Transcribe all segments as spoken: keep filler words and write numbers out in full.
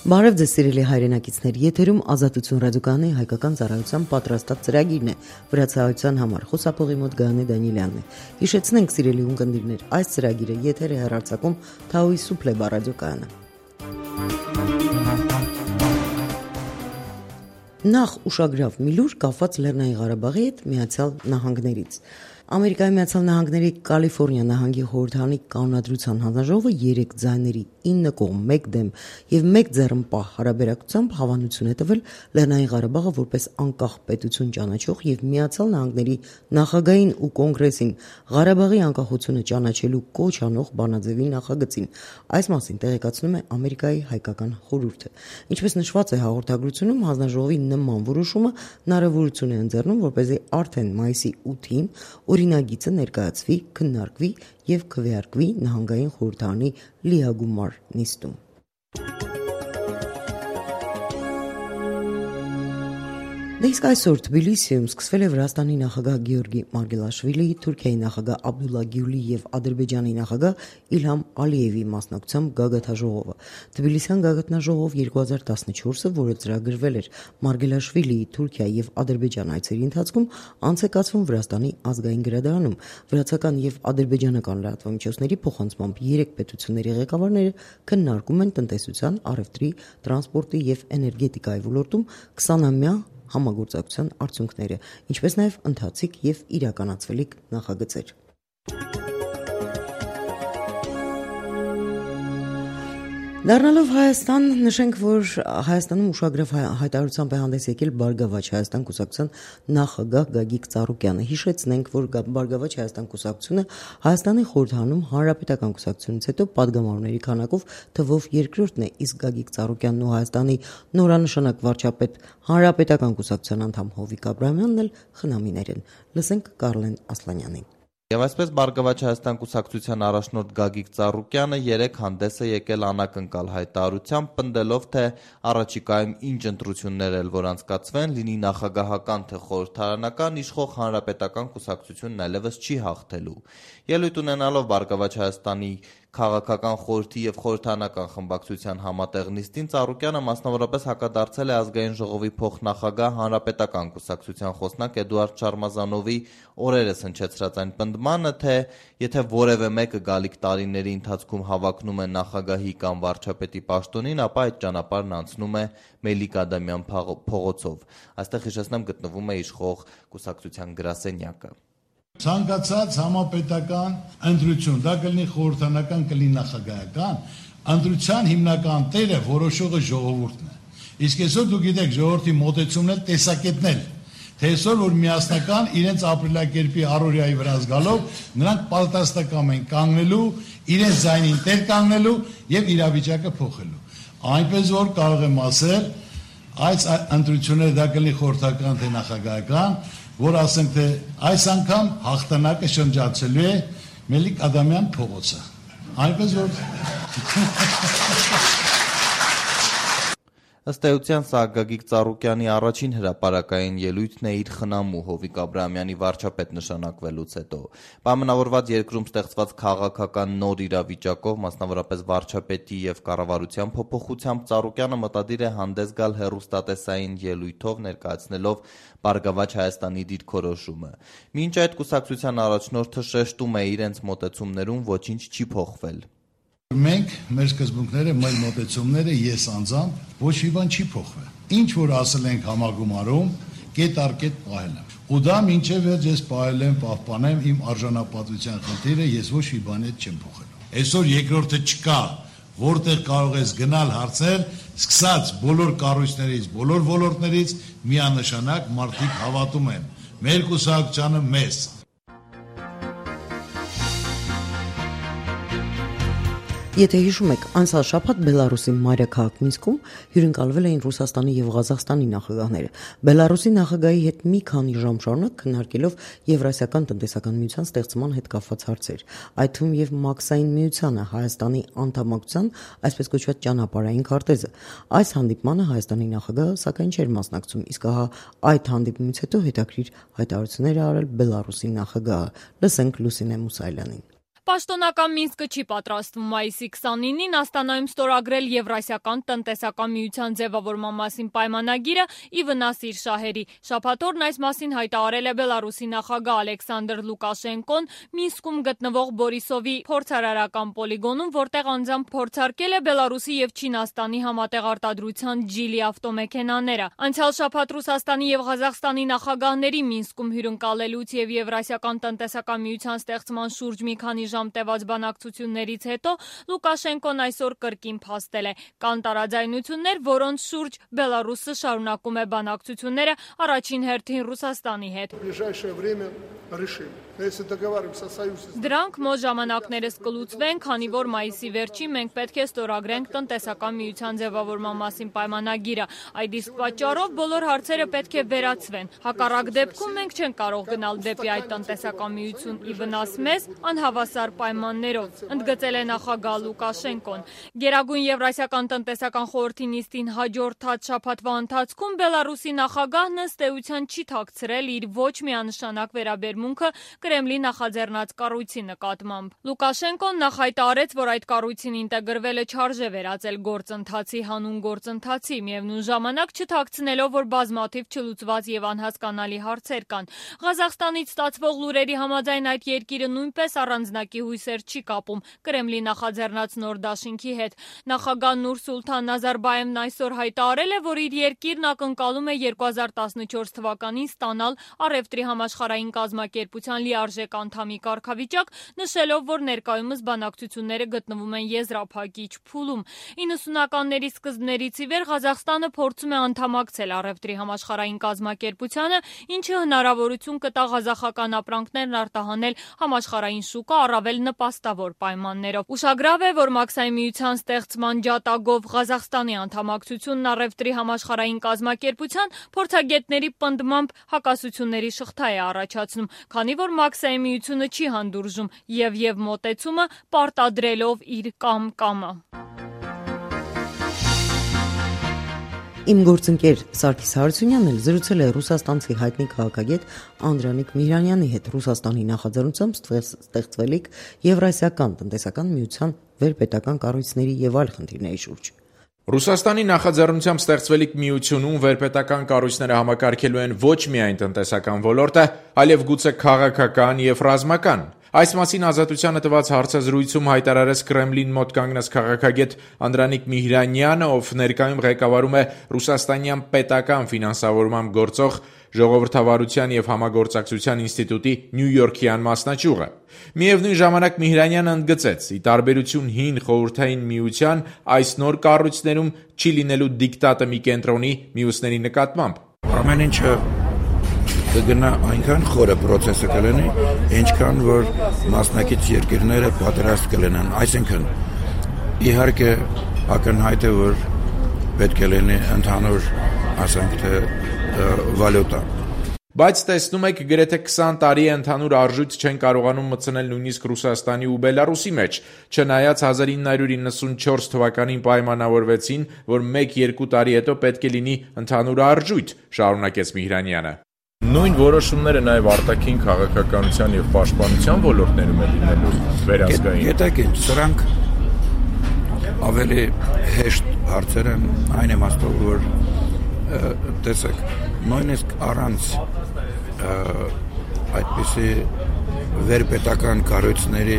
Բարև ձեզ սիրելի հայրենակիցներ, եթերում Ազատություն ռադիոկայանի հայկական ծառայության պատրաստած ծրագիրն է, վրացահայության համար խոսափողի մոտ Գայանե Դանիելյանն է։ Հիշեցնենք սիրելի ունկնդիրներ, այս ծրագիրը եթեր է հեռարձակում Թաուի Սուփլեբա ռադիոկայանը։ Նախ ուշագրավ մի լուր կապված Լեռնային Ղարաբաղի հետ Միացյալ Նահանգներից։ Ամերիկայի Միացյալ Նահանգների Կալիֆոռնիա նահանգի խորհրդարանի կանոնադրության հանձնաժողովը երեք ձայների ինը կողմ մեկ դեմ եւ մեկ ձեռնպահ հարաբերակցությամբ հավանություն է տվել Լեռնային Ղարաբաղը որպես անկախ պետություն ճանաչող եւ Միացյալ Նահանգների նախագահային ու կոնգրեսին Ղարաբաղի անկախությունը ճանաչելու կոչ անող բանաձևի նախագծին։ Այս մասին տեղեկացնում է Ամերիկայի հայկական խորհուրդը։ Ինչպես նշված է հաղորդագրությունում, հանձնաժողովի նման որոշումը հնարավորություն է ընձեռնում, որպեսզի արդեն մայիսի ութին օրինագիծը ներկայացվի, քննարկվի եւ քվեարկվի նահանգային խորհրդարանի լիագումար նիստում։ Դե իսկ այսօր Թբիլիսիում սկսվել է Վրաստանի նախագահ Գեորգի Մարգելաշվիլիի, Թուրքիայի նախագահ Աբդուլլա Գյուլի եւ Ադրբեջանի նախագահ Իլհամ Ալիևի մասնակցությամբ գագաթնաժողովը։ Թբիլիսյան գագաթնաժողով երկու հազար տասնչորսը, որը ծրագրվել էր Մարգելաշվիլիի Թուրքիա եւ Ադրբեջան այցերի ընթացքում, անց է կացվում Վրաստանի ազգային գրադարանում։ Վրացական եւ ադրբեջանական լրատվամիջոցների փոխանցմամբ երեք պետությունների ղեկավարները քննարկում են տնտեսության, առևտրի, տրանսպորտի եւ էներգետիկայի ոլորտում քսանամյա համագործակցության արդյունքները, ինչպես նաև ընթացիկ եւ իրականացվելիք նախագծեր։ Դառնալով Հայաստան, նշենք, որ Հայաստանում ուշագրավ հայտարարությամբ է հանդես եկել Բարգավաճ Հայաստան կուսակցության նախագահ Գագիկ Ծառուկյանը։ Հիշեցնենք, որ Բարգավաճ Հայաստան կուսակցությունը Հայաստանի խորհրդարանում հանրապետական կուսակցությունից հետո падգամավորների քանակով թվով երկրորդն է, իսկ Գագիկ Ծառուկյանն ու Հայաստանի նորանշանակ վարչապետ հանրապետական կուսակցության անդամ Հովիկ Աբրահամյանն էլ խնամիներ են։ Լսենք Կարլեն Ասլանյանին։ Եվ այսպես Բարգավաճ Հայաստան կուսակցության առաջնորդ Գագիկ Ծառուկյանը երեկ հանդես է եկել անակնկալ հայտարարությամբ, պնդելով, թե առաջիկայում ինչ ընտրություններ էլ որ անցկացվեն, լինի նախագահական թե խորհրդարանական, իշխող հանրապետական կուսակցությունն այլևս չի հաղթելու։ Ելույթ ունենալով Բարգավաճ Հայաստանի քաղաքական խորհրդի եւ խորհրդարանական խմբակցության համատեղ նիստին, Ծառուկյանը մասնավորապես հակադարձել է ազգային ժողովի փոխնախագահ հանրապետական կուսակցության խոսնակ Էդուարդ Շարմազանովի օրերս հնչեցրած այն պնդմանը, թե եթե որևէ մեկը գալիք տարիների ընթացքում հավակնում է նախագահի կամ վարչապետի պաշտոնին, ապա այդ ճանապարհն անցնում է Մելիք Ադամյան փողոցով։ Այստեղ հիշեցնեմ գտնվում է իշխող կուսակցության գրասենյակը։ Ցանկացած համապետական ընտրություն, դա կլինի խորհրդարանական, կլինի նախագահական, ընտրության հիմնական տերը որոշողը ժողովուրդն է։ Իսկ այսօր դուք գիտեք, ժողովրդի մոտեցումն էլ տեսակետն էլ, թե այսօր որ միասնական իրենց ապրելակերպի առօրյայի վրա զգալով, նրանք պատրաստակամ են կանգնելու, իրենց ձայնին տեր կանգնելու եւ իրավիճակը փոխելու։ Այնպես որ կարող եմ ասել, այս ընտրությունները դա կլինի խորհրդական թե նախագահական, որ ասենք թե այս անգամ հաղթանակը շրջացելու է Մելիք Ադամյան փողոցը։ Այնպես որ Ըստ էության սա Գագիկ Ծառուկյանի առաջին հրապարակային ելույթն է իր խնամու Հովիկ Աբրահամյանի վարչապետ նշանակվելուց հետո։ Պայմանավորված երկրում ստեղծված քաղաքական նոր իրավիճակով, մասնավորապես վարչապետի եւ կառավարության փոփոխությամբ, Ծառուկյանը մտադիր է հանդես գալ հեռուստատեսային ելույթով, ներկայացնելով Բարգավաճ Հայաստանի դիրքորոշումը։ Մինչ այդ կուսակցության առաջնորդը շեշտում է իրենց մոտեցումներում ոչինչ չի փոխվել։ Մենք, մեր սկզբունքները, մեր մոտեցումները, ես անձամբ ոչ մի բան չի փոխվել։ Ինչ որ ասել ենք համագումարում, կետ առ կետ պահել եմ։ Ու դա մինչև վերջ ես պահել եմ, պահպանեմ իմ արժանապատվության խնդիրը, ես ոչ մի բան հետ չեմ փոխելու։ Այսօր երկրորդը չկա, որտեղ կարող ես գնալ հարցնել, սկսած բոլոր կառույցներից, բոլոր ոլորտներից միանշանակ մարդիկ հավատում են մեր կուսակցությանը, մեզ։ Եթե հիշում եք, անցյալ շաբաթ Բելարուսի մայրաքաղաք Մինսկում հյուրընկալվել էին Ռուսաստանի եւ Ղազախստանի նախագահները։ Բելարուսի նախագահի հետ մի քանի ժամ շարունակ քննարկելով Եվրասիական տնտեսական միության ստեղծման հետ կապված հարցեր, այդ թվում եւ Մաքսային միությանը, Հայաստանի անդամակցության, այսպես կոչված ճանապարհային քարտեզը։ Այս հանդիպմանը Հայաստանի նախագահը սակայն չէր մասնակցում, իսկ ահա այդ հանդիպումից հետո հետաքրիր հայտարարություններ է արել Բելարուսի նախագահը։ Լսենք Լուսինե Մուսայելյանին։ Պաշտոնական Մինսկը չի պատրաստվում մայիսի քսանինին Աստանայում ստորագրել Եվրասիական տնտեսական միության ձևավորման մասին պայմանագիրը ի վնաս իր շահերի։ Շաբաթ օրն այս մասին հայտարարել է Բելարուսի նախագահ Ալեքսանդր Լուկաշենկոն Մինսկում գտնվող Բորիսովի փորձարարական պոլիգոնում, որտեղ անձամբ փորձարկել է Բելարուսի եւ Չինաստանի համատեղ արտադրության Ջիլի ավտոմեքենաները։ Անցյալ շաբաթ Ռուսաստանի եւ Ղազախստանի նախագահների Մինսկում հյուրընկալելուց եւ Եվրասիական տնտեսական միության ստեղծման շուրջ մի քանի ժամ տևած բանակցություններից հետո Լուկաշենկոն այսօր կրկին փաստել է. կան տարաձայնություններ, որոնց շուրջ Բելարուսը շարունակում է բանակցությունները առաջին հերթին Ռուսաստանի հետ։ Դրանք մոտ ժամանակներս կլուծվեն, քանի որ մայիսի վերջին մենք պետք է ստորագրենք տնտեսական միության ձևավորման մասին պայմանագիրը։ Այդ իսկ պատճառով բոլոր հարցերը պետք է վերացվեն։ Հակառակ դեպքում մենք չենք կարող գնալ դեպի այդ տնտեսական միություն ի վնաս մեզ անհավասար պայմաններով, ընդգծել է նախագահ Լուկաշենկոն։ Գերագույն Եվրասիական տնտեսական խորհրդի նիստին հաջորդած շաբաթվա ընթացքում Բելարուսի նախագահն ըստ էության չի թաքցրել իր ոչ միանշանակ վերաբերմունքը Կրեմլի նախաձեռնած կառույցի նկատմամբ։ Լուկաշենկոն նախ հայտարարեց, որ այդ կառույցին ինտեգրվելը չարժե վերածել գործընթացի հանուն գործընթացի, միևնույն ժամանակ չթաքցնելով, որ բազմաթիվ չլուծված եւ անհասկանալի հարցեր կան։ Ղազախստանից ստացվող լուրերի համաձայն այդ երկիրը նույնպես առանձնակի հույսեր չի կապում Կրեմլի նախաձեռնած նոր դաշինքի հետ։ Նախագահ Նուրսուլթան Նազարբաևն այսօր հայտարարել է, որ իր երկիրն ակնկալում է երկու հազար տասնչորս թվականին ստանալ առևտրի համաշխարհային կազմակերպության լիարժեք անդամի կարգավիճակ, նշելով, որ ներկայումս բանակցությունները գտնվում են եզրափակիչ փուլում։ իննսունականների սկզբներից ի վեր Ղազախստանը փորձում է անդամակցել առևտրի համաշխարհային կազմակերպությանը, ինչը հնարավորություն կտա ղազախական ապրանքներն արտահանել համաշխարհային շուկա առավել նպաստավոր պայմաններով։ Ուշագրավ է, որ Մաքսային միության ստեղծման ջատագով Ղազախստանի անդամակցությունն առևտրի համաշխարհային կազմակերպության փորձագետների պնդմամբ հակասությունների շղթա է առաջացնում, քանի որ Մաքսային միությունը չի հանդուրժում եւ եւ մոտեցումը պարտադրելով իր կամ-կամը։ Իմ գործընկեր Սարգիս Հարությունյանն էլ զրուցել է ռուսաստանցի հայտնի քաղաքագետ Անդրանիկ Միհրանյանի հետ Ռուսաստանի նախաձեռնությամբ ստեղծվելիք Եվրասիական տնտեսական միության վերպետական կառույցների եւ այլ խնդիրների շուրջ։ Ռուսաստանի նախաձեռնությամբ ստեղծվելիք միությունում վերպետական կառույցները համակարգելու են ոչ միայն տնտեսական ոլորտը, այլև գուցե քաղաքական եւ ռազմական։ Այս մասին Ազատությանը տված հարցազրույցում հայտարարեց Կրեմլին մոտ կանգնած քաղաքագետ Անդրանիկ Միհրանյանը, ով ներկայում ղեկավարում է Ռուսաստանյան պետական ֆինանսավորմամբ գործող Ժողովրդավարության եւ համագործակցության ինստիտուտի Նյու-Յորքյան մասնաճյուղը։ Միևնույն ժամանակ Միհրանյանը ընդգծեց, ի տարբերություն հին խորհրդային միության, այս նոր կառույցներում չի լինելու դիկտատը մի կենտրոնի մյուսների նկատմամբ։ Ամեն ինչը կգնա այնքան խորը process-ը կլինի, ինչքան որ մասնակից երկիրները պատրաստ կլինեն։ Այսինքն, իհարկե ակնհայտ է, որ պետք է լինի ընդհանուր, ասենք թե, վալյուտա։ Բայց տեսնում եք, գրեթե քսան տարի է ընդհանուր արժույթ չեն կարողանում մտցնել նույնիսկ Ռուսաստանի ու Բելարուսի մեջ, չնայած հազար ինը հարյուր իննսունչորս թվականին պայմանավորվեցին, որ մեկ-երկու տարի հետո պետք է լինի ընդհանուր արժույթ, շարունակեց Միհրանյանը։ Նույն որոշումները նաև արտաքին քաղաքականության եւ պաշտպանության ոլորտներում է լինելու վերահսկային։ Գիտեք ինչ, սրանք ավելի հեշտ հարցեր են, այն իմաստով, որ տեսեք, նույնիսկ առանց այդպիսի վերպետական կառույցների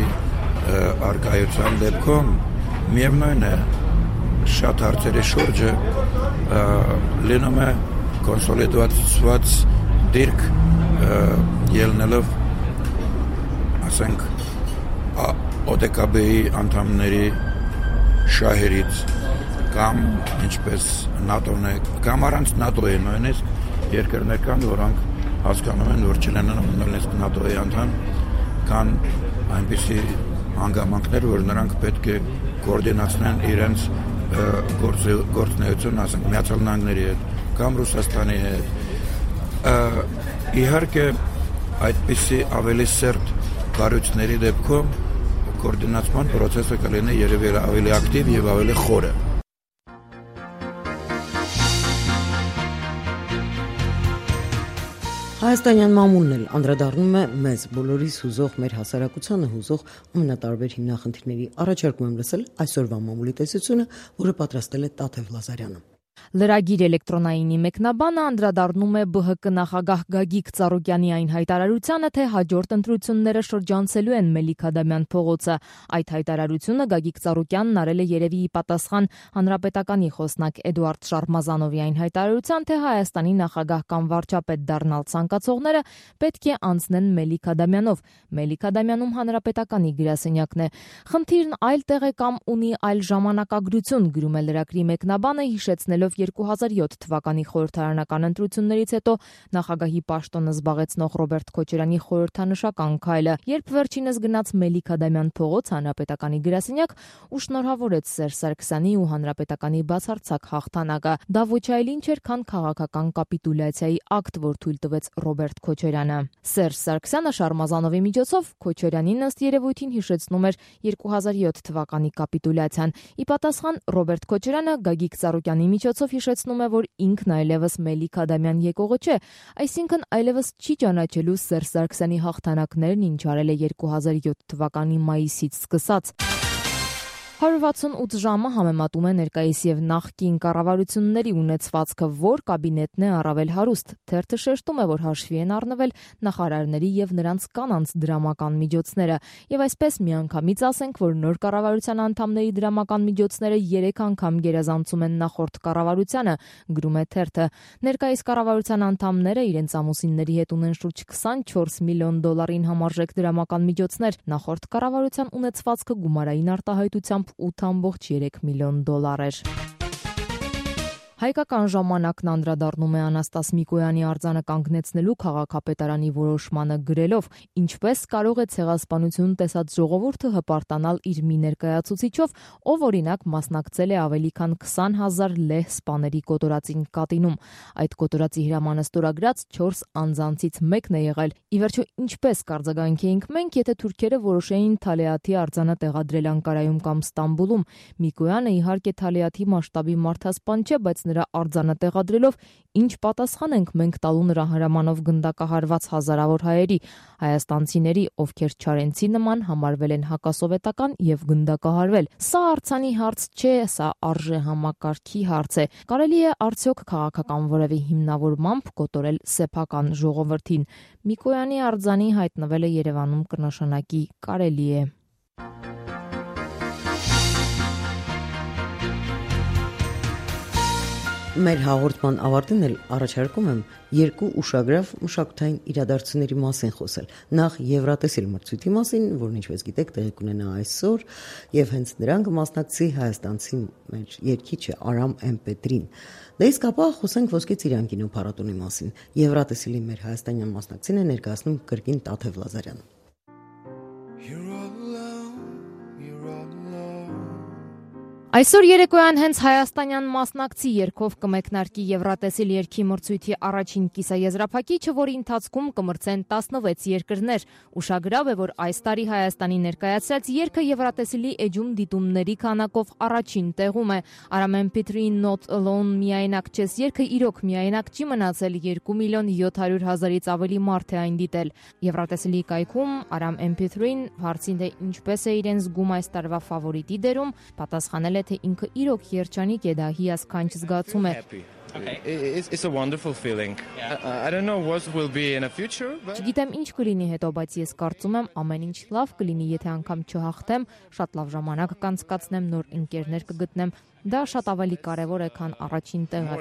արկայության դեպքում միևնույն է շատ հարցերի շուրջը լինում է կոնսոլիդացված դիրք ելնելով, ասենք, օ դե կա բի-ի անդամների շահերից կամ ինչպես նատոն է, կամ առանց նատոյի նույնիսկ երկրներ կան, որոնք հասկանում են, որ չլինեն նույնիսկ նատոյի անդամ, կան այնպիսի հանգամանքներ, որ նրանք պետք է կոորդինացնեն իրենց գործունեություն, ասենք, Միացյալ Նահանգների հետ կամ Ռուսաստանի հետ։ Իհարկե այդպիսի ավելի սերտ կառույցների դեպքում կոորդինացման process-ը կլինի երևի ավելի ակտիվ եւ ավելի խորը։ Հայաստանյան մամուլն էլ անդրադառնում է մեզ բոլորիս հուզող, մեր հասարակությանը հուզող ամենատարբեր հիմնախնդիրների։ Առաջարկում եմ լսել այսօրվա մամուլի տեսությունը, որը պատրաստել է Տաթև Լազարյանը։ Լրագիր էլեկտրոնայինի մեկնաբանը անդրադառնում է ԲՀԿ նախագահ Գագիկ Ծառուկյանի այն հայտարարությանը, թե հաջորդ ընտրությունները շրջանցելու են Մելիք Ադամյան փողոցը։ Այդ հայտարարությունը Գագիկ Ծառուկյանն արել է երևի ի պատասխան հանրապետականի խոսնակ Էդուարդ Շարմազանովի այն հայտարարության, թե Հայաստանի նախագահ կամ վարչապետ դառնալ ցանկացողները պետք է անցնեն Մելիք Ադամյանով։ Մելիք Ադամյանում հանրապետականի գրասենյակն է։ Խնդիրն այլ տեղ է կամ ունի այլ ժամանակագրություն, գրում է լրագրի մեկնաբանը, հիշեցնելով երկու հազար յոթ թվականի խորհրդարանական ընտրություններից հետո նախագահի պաշտոնը զբաղեցնող Ռոբերտ Քոչարյանի խորհրդանշական քայլը, երբ վերջինս գնաց Մելիք Ադամյան փողոց հանրապետականի գրասենյակ ու շնորհավորեց Սերժ Սարգսյանի ու հանրապետականի բացարձակ հաղթանակը։ Դա ոչ այլ ինչ էր, քան քաղաքական կապիտուլյացիայի ակտ, որ թույլ տվեց Ռոբերտ Քոչարյանը։ Սերժ Սարգսյանը Շարմազանովի միջոցով Քոչարյանին ըստ երևույթին հիշեցնում էր երկու հազար յոթ թվականի կապիտուլյացիան։ Ի պատասխան Ռոբերտ Քոչարյանը Գագիկ Ծառուկյանի միջոցով հիշեցնում է, որ ինքն այլևս Մելիք Ադամյան եկողը չէ, այսինքն այլևս չի ճանաչելու Սերժ Սարգսյանի հաղթանակներն, ինչ արել է երկու հազար յոթ թվականի մայիսից սկսած։ հարյուր վաթսունութ ժամը համեմատում է ներկայիս եւ նախկին կառավարությունների ունեցվածքը, որ կաբինետն է առավել հարուստ։ Թերթը շեշտում է, որ հաշվի են առնվել նախարարների եւ նրանց կանանց դրամական միջոցները, եւ այսպես միանգամից ասենք, որ նոր կառավարության անդամների դրամական միջոցները երեք անգամ գերազանցում են նախորդ կառավարությանը, գրում է թերթը։ Ներկայիս կառավարության անդամները իրենց ամուսինների հետ ունեն շուրջ քսանչորս միլիոն դոլարին համարժեք դրամական միջոցներ, նախորդ կառավարության ունեցվածքը գումարային արտահայտությամբ ութ ամբողջ երեք միլիոն դոլար էր։ Հայկական ժամանակն անդրադառնում է Անաստաս Միկոյանի արձանը կանգնեցնելու քաղաքապետարանի որոշմանը գրելով. ինչպես կարող է ցեղասպանություն տեսած ժողովուրդը հպարտանալ իր մի ներկայացուցիչով, ով օրինակ մասնակցել է ավելի քան քսան հազար լեհ սպաների կոտորածին Կատինում։ Այդ կոտորածի հրամանը ստորագրած չորս անձանցից մեկն է եղել։ Ի վերջո, ինչպես կարձագանքեինք մենք, եթե թուրքերը որոշեին Թալեաթի արձանը տեղադրել Անկարայում կամ Ստամբուլում։ Միկոյանը իհարկե Թալեաթի մասշտաբի մարդասպան չէ, բայց նրա արձանը տեղադրելով ինչ պատասխան ենք մենք տալու նրա հրամանով գնդակահարված հազարավոր հայերի, հայաստանցիների, ովքեր Չարենցի նման համարվել են հակասովետական եւ գնդակահարվել։ Սա արձանի հարց չէ, սա արժե համակարգի հարց է։ Կարելի է արդյոք քաղաքական որևէ հիմնավորմամբ կոտորել սեփական ժողովրդին։ Միկոյանի արձանի հայտնվելը Երևանում կնշանակի կարելի է։ Մեր հաղորդման ավարտին էլ առաջարկում եմ երկու ուշագրավ մշակութային իրադարձությունների մասին խոսել։ Նախ Եվրատեսիլ մրցույթի մասին, որն ինչպես գիտեք տեղի կունենա այսօր, եւ հենց նրան կմասնակցի հայաստանցի մեր երգիչը Արամ Էմպետրին։ Դե իսկ ապա խոսենք Ոսկե Ծիրան կինոփառատոնի մասին։ Եվրատեսիլի մեր հայաստանյան մասնակցին է ներկայացնում կրկին Տաթև Լազարյանը։ Այսօր երեկոյան հենց հայաստանյան մասնակցի երգով կմեկնարկի Եվրատեսիլ երգի մրցույթի առաջին կիսաեզրափակիչը, որի ընթացքում կմրցեն տասնվեց երկրներ։ Ուշագրավ է, որ այս տարի Հայաստանի ներկայացրած երգը Եվրատեսիլի էջում դիտումների քանակով առաջին տեղում է։ Aram M P three Not Alone միայնակ չես երգը իրոք միայնակ չի մնացել, երկու միլիոն յոթ հարյուր հազարից ավելի մարդ է այն դիտել։ Եվրատեսիլի կայքում Aram M P three-ն հարցին, թե ինչպես է իրեն զգում այս տարվա ֆավորիտի դերում, պատասխանել թե ինքը իրոք երջանիկ է, դա հիասքանչ զգացում է։ It's a wonderful feeling. I don't know what will be in the future. Չգիտեմ ինչ կլինի հետո, բայց ես կարծում եմ ամեն ինչ լավ կլինի, եթե անգամ չհաղթեմ, շատ լավ ժամանակ կանցկացնեմ, նոր ընկերներ կգտնեմ։ Դա շատ ավելի կարևոր է, քան առաջին տեղը։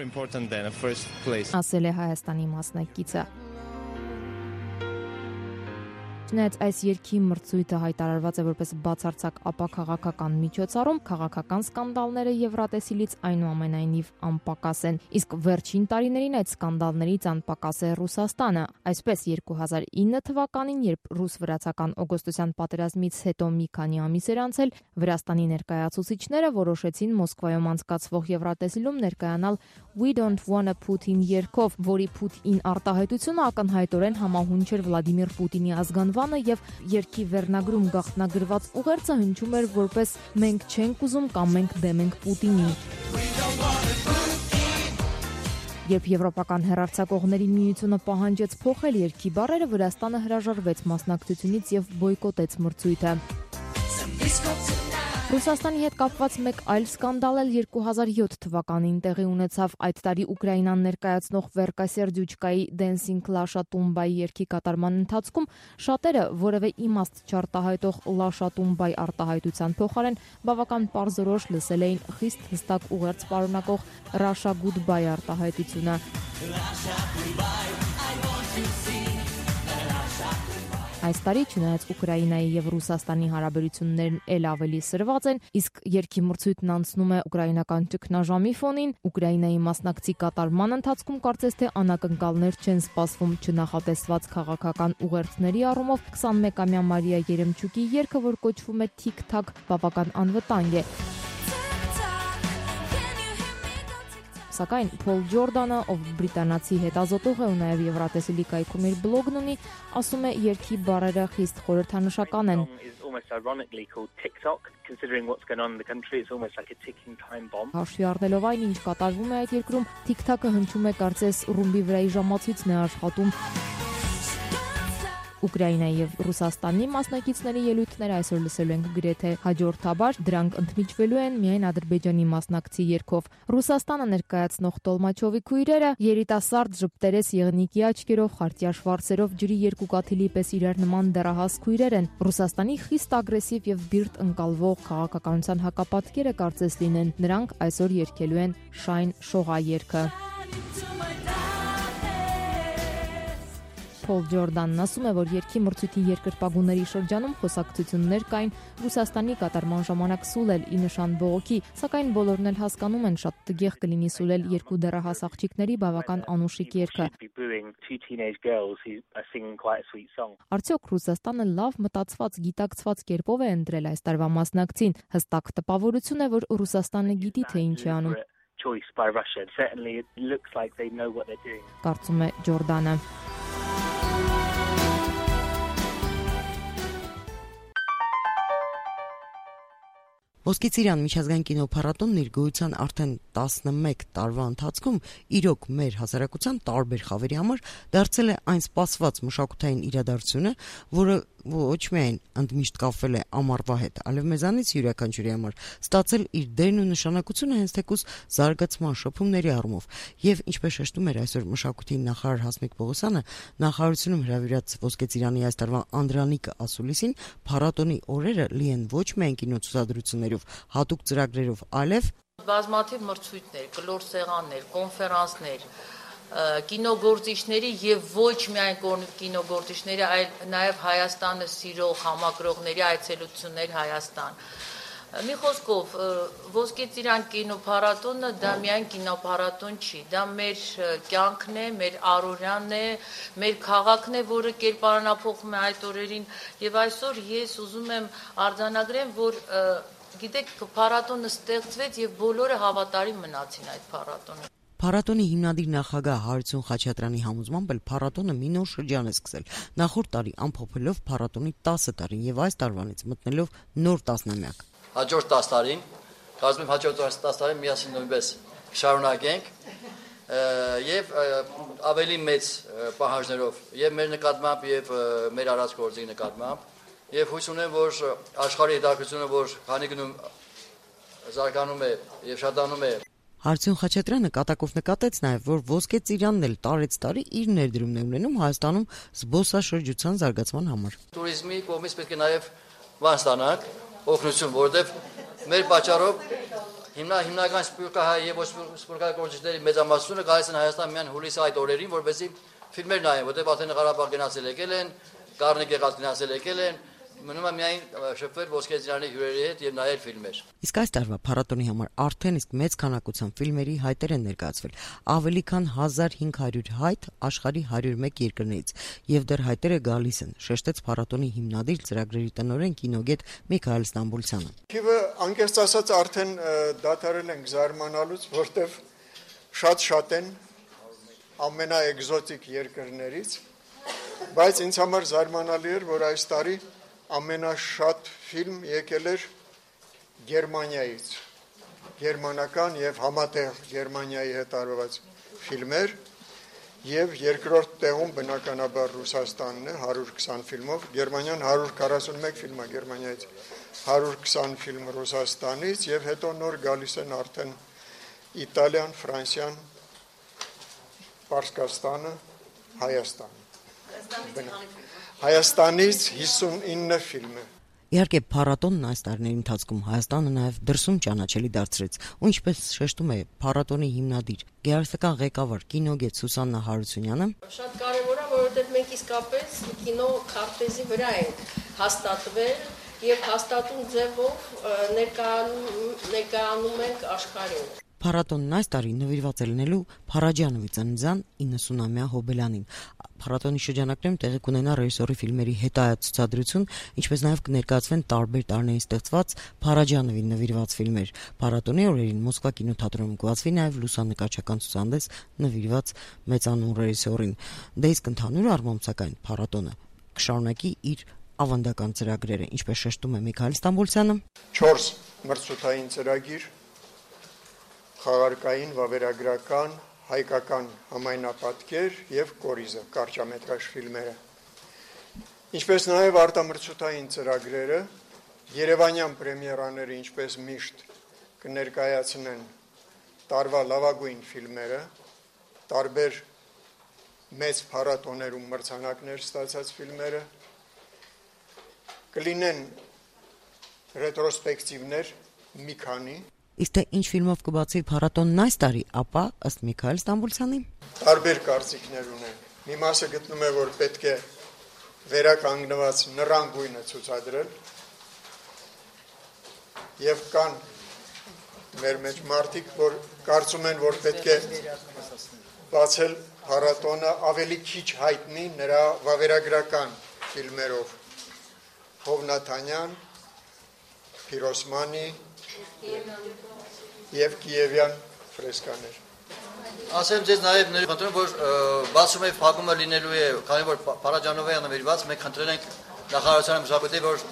Ասել է Հայաստանի մասնակիցը։ Չնայած այս երգի մրցույթը հայտարարված է որպես բացարձակ ապաքաղաքական միջոցառում, քաղաքական սկանդալները Եվրատեսիլից այնուամենայնիվ անպակաս են, իսկ վերջին տարիներին այդ սկանդալներից անպակաս է Ռուսաստանը։ Այսպես երկու հազար ինը թվականին, երբ ռուս-վրացական օգոստոսյան պատերազմից հետո մի քանի ամիս էր անցել, Վրաստանի ներկայացուցիչները որոշեցին Մոսկվայում անցկացվող Եվրատեսիլում ներկայանալ We Don't Wanna Putin երգով, որի Putin արտահայտությունը ակնհայտորեն համահունչ էր Վլադիմիր Պուտինի ազգանվանը եւ երգի վերնագրում գաղտնագրված ուղերձը հնչում էր որպես մենք չենք ուզում կամ մենք դեմ ենք Պուտինի։ Երբ Եվրոպական հեռարձակողների միությունը պահանջեց փոխել երգի բառերը, Վրաստանը հրաժարվեց մասնակցությունից եւ բոյկոտեց մրցույթը։ Ռուսաստանի հետ կապված մեկ այլ սկանդալ էլ երկու հազար յոթ թվականին տեղի ունեցավ։ Այդ տարի Ուկրաինան ներկայացնող Վերկա Սերդյուչկայի Dancing Lasha Tumbai երգի կատարման ընթացքում շատերը որևէ իմաստ չարտահայտող Lasha Tumbai արտահայտության փոխարեն բավական պարզորոշ լսել էին խիստ հստակ ուղերձ պարունակող Russia Goodbye արտահայտությունը։ Այս տարի չնայած Ուկրաինայի եւ Ռուսաստանի հարաբերություններն էլ ավելի սրված են, իսկ երգի մրցույթն անցնում է ուկրաինական ճգնաժամի ֆոնին, Ուկրաինայի մասնակցի կատարման ընթացքում կարծես թե անակնկալներ չեն սպասվում չնախատեսված քաղաքական ուղերձների առումով քսանմեկամյա Մարիա Երեմչուկի երգը, որ կոչվում է Թիկ-թակ, բավական անվտանգ է։ Սակայն Փոլ Ջորդանը, ով բրիտանացի հետազոտող է ու նաև Եվրատեսիլի կայքում իր բլոգն ունի, ասում է երգի բառերը խիստ խորհրդանշական են։ Հաշվի առնելով այն, ինչ կատարվում է այդ երկրում, Թիկ-թակը հնչում է կարծես ռումբի վրայի ժամացույցն է աշխատում։ Ուկրաինայի եւ Ռուսաստանի մասնակիցների ելույթները այսօր լսելու ենք գրեթե հաջորդաբար, դրանք ընդմիջվելու են միայն Ադրբեջանի մասնակցի երգով։ Ռուսաստանը ներկայացնող Տոլմաչովի քույրերը երիտասարդ ժպտերես եղնիկի աչքերով, խարտյաշ վարսերով, ջրի երկու կաթիլի պես իրար նման դեռահաս քույրեր են։ Ռուսաստանի խիստ ագրեսիվ եւ բիրտ ընկալվող քաղաքականության հակապատկերը կարծես լինեն։ Նրանք այսօր երգելու են Շայն Շողա երգը։ Փոլ Ջորդանն ասում է, որ երգի մրցույթի երկրպագուների շրջանում խոսակցություններ կային Ռուսաստանի կատարման ժամանակ սուլել ի նշան բողոքի, սակայն բոլորն էլ հասկանում են, շատ տգեղ կլինի սուլել երկու դեռահաս աղջիկների բավական անուշիկ երգը։ Արդյոք Ռուսաստանը լավ մտածված, գիտակցված կերպով է ընտրել այս տարվա մասնակցին։ Հստակ տպավորություն է, որ Ռուսաստանը գիտի, թե ինչ է անում։ Կարծում է Ջորդանը։ Ոսկե ծիրան միջազգային կինոփառատոնն իր գոյության արդեն տասնմեկ տարվա ընթացքում իրոք մեր հասարակության տարբեր խավերի համար դարձել է այն սպասված մշակութային իրադարձությունը, որը ոչ միայն ընդմիշտ կապվել է ամառվա հետ, այլև մեզանից յուրաքանչյուրի համար ստացել իր դերն ու նշանակությունը հենց թեկուզ զարգացման շփումների առումով։ Եվ ինչպես շեշտում էր այսօր մշակույթի նախարար Հասմիկ Պողոսյանը, նախարարությունում հրավիրած Ոսկե ծիրանի այս տարվա Անդրանիկը ասուլիսին, փառատոնի օրերը լի են ոչ միայն կինոցուցադրություններով, հատուկ ծրագրերով, այլև բազմաթիվ մրցույթներ, կլոր սեղաններ, կոնֆերանսներ, կինոգործիչների եւ ոչ միայն կինոգործիչների, այլ նաեւ Հայաստանը սիրող համակրողների այցելություններ Հայաստան։ Մի խոսքով, Ոսկե ծիրան կինոփառատոնը դա միայն կինոփառատոն չի, դա մեր կյանքն է, մեր առօրյանն է, մեր քաղաքն է, որը կերպարանափոխում է այդ օրերին, եւ այսօր ես ուզում եմ արձանագրեմ, որ գիտեք, փառատոնը ստեղծվեց եւ բոլորը հավատարիմ մնացին այդ փառատոնին։ Փառատոնի հիմնադիր նախագահ Հարություն Խաչատրյանի համոզմամբ էլ փառատոնը մի նոր շրջան է սկսել։ Նախորդ տարի ամփոփելով փառատոնի տասը տարին եւ այս տարվանից մտնելով նոր տասնամյակ։ Հաջորդ տասը տարին, կարծում եմ հաջորդ տասը տարին միասին նույնպես շարունակենք եւ ավելի մեծ պահանջներով եւ մեր նկատմամբ եւ մեր արած գործի նկատմամբ եւ հույս ունեմ, որ աշխարհի հետաքրությունը, որ քանի գնում զարգանում է եւ շատանում է։ Հարություն Խաչատրյանը կատակով նկատեց նաև, որ Ոսկե ծիրանն էլ տարեց տարի իր ներդրումն է ունենում Հայաստանում զբոսաշրջության զարգացման համար։ Տուրիզմի կողմից պետք է նաև բան ստանանք, օգնություն, որովհետև մեր պատճառով հիմնա հիմնական սպորտահայ եւ սպորտային գործիչների մեծամասնությունը գալիս են Հայաստան միայն հուլիսի այդ օրերին, որովհետեւ ֆիլմեր նայեն, որովհետեւ արդեն Ղարաբաղ գնացել եկել են, Գառնիկ եղած գնացել եկել են, մնում է միայն շփվել Ոսկե ծիրանի հյուրերի հետ եւ նայել ֆիլմեր։ Իսկ այս տարվա փառատոնի համար արդեն իսկ մեծ քանակությամբ ֆիլմերի հայտեր են ներկայացվել, ավելի քան հազար հինգ հարյուր հայտ աշխարհի հարյուր մեկ երկրներից, եւ դեռ հայտերը գալիս են, շեշտեց փառատոնի հիմնադիր ծրագրերի տնօրեն կինոգետ Միքայել Ստամբուլցյանը։ Քիվը անկեղծ ասած արդեն դադարել ենք զարմանալուց, որտեվ շատ-շատ են ամենաէկզոտիկ երկրներից, բայց ինձ համար զարմանալի էր, որ այս տարի ամենաշատ ֆիլմ եկել էր Գերմանիայից, գերմանական եւ համատեղ Գերմանիայի հետ արված ֆիլմեր եւ երկրորդ տեղում բնականաբար Ռուսաստանն է հարյուր քսան ֆիլմով, Գերմանիան հարյուր քառասունմեկ ֆիլմ է Գերմանիայից, հարյուր քսան ֆիլմ Ռուսաստանից եւ հետո նոր գալիս են արդեն Իտալիան, Ֆրանսիան, Պարսկաստանը, Հայաստանը։ Հայաստանից հիսունինը ֆիլմ է։ Իհարկե, փառատոնն այս տարիների ընթացքում Հայաստանը նաև դրսում ճանաչելի դարձրեց, ու ինչպես շեշտում է փառատոնի հիմնադիր, գեղարվեստական ղեկավար, կինոգետ Սուսաննա Հարությունյանը, շատ կարևոր է, որովհետև մենք իսկապես կինո քարտեզի վրա ենք հաստատվել եւ հաստատուն ձևով ներկայանում ենք աշխարհին։ Փառատոնն այս տարի նվիրված է լինելու Փարաջանովի ծննդյան իննսունամյա հոբելյանին։ Փառատոնի շրջանակներում տեղի կունենա ռեժիսորի ֆիլմերի հետայացուցադրություն, ինչպես նաև կներկայացվեն տարբեր տարիներին ստեղծված Փարաջանովին նվիրված ֆիլմեր։ Փառատոնի օրերին Մոսկվա կինոթատրոնում կբացվի նաև լուսանկարչական ցուցահանդես նվիրված մեծանուն ռեժիսորին։ Դե իսկ ընդհանուր առմամբ սակայն փառատոնը կշարունակի իր ավանդական ծրագրերը, ինչպես շեշտում է Միքայել Ստամբոլցյանը։ չորս մրցութային ծրագիր, խաղարկային, վավերագրական, հայկական համայնապատկեր եւ կորիզը, կարճամետրաժ ֆիլմերը։ Ինչպես նաեւ արտամրցութային ծրագրերը, Երևանյան պրեմիերաները, ինչպես միշտ, կներկայացնեն տարվա լավագույն ֆիլմերը, տարբեր մեծ փառատոներում մրցանակներ ստացած ֆիլմերը, կլինեն ռետրոսպեկտիվներ մի քանի։ Իսկ թե ինչ ֆիլմով կբացվի փառատոնն այս տարի, ապա ըստ Միքայել Ստամբոլցյանի տարբեր կարծիքներ ունեն։ Մի մասը գտնում է, որ պետք է վերականգնված նռան գույնը ցուցադրել, եւ կան մեր մեջ մարդիկ, որ կարծում են, որ պետք է բացել փառատոնը ավելի քիչ հայտնի նրա վավերագրական ֆիլմերով։ Հովնաթանյան, Փիրոսմանի եւ Կիևյան ֆրեսկաներ։ Ասեմ ձեզ նաև ներկայացնում, որ բացում է փակումը լինելու է, քանի որ Փարաջանովը նվիրված, մենք խնդրել ենք նախարարությանը մշակույթի, որ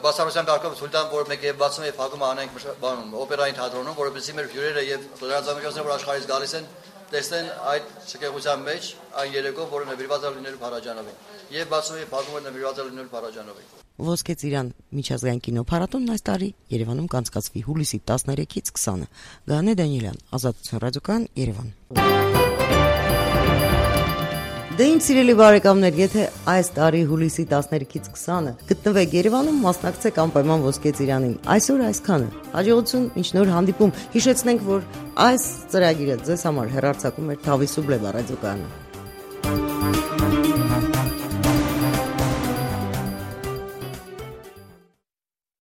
բացառության կարգով ցույց տան, որ մենք եւ բացում է փակումը անենք բանում օպերային թատրոնում, որովհետեւ մեր հյուրերը եւ լրատվամիջոցները, որ աշխարհից գալիս են, տեսնեն այդ շքեղության մեջ այն երեկո, որը նվիրված է լինելու Փարաջանովին։ Եվ բացում է փակումը նվիրված է լինելու Փարաջանովին։ Ոսկե ծիրան միջազգային կինոփառատոնն այս տարի Երևանում կանցկացվի հուլիսի տասներեքից քսանը։ Գանե Դանիելյան, Ազատություն ռադիոկայան, Երևան։ Դե իմ սիրելի բարեկամներ, եթե այս տարի հուլիսի տասներեքից քսանը գտնվեք Երևանում, մասնակցեք անպայման Ոսկե ծիրանին։ Այսօր այսքանը։ Հաջողություն, մինչ նոր հանդիպում։ Հիշեցնենք, որ այս ծրագիրը ձեզ համար հեռարձակում էր Թավի Սուբլեվա ռադիոկայանը։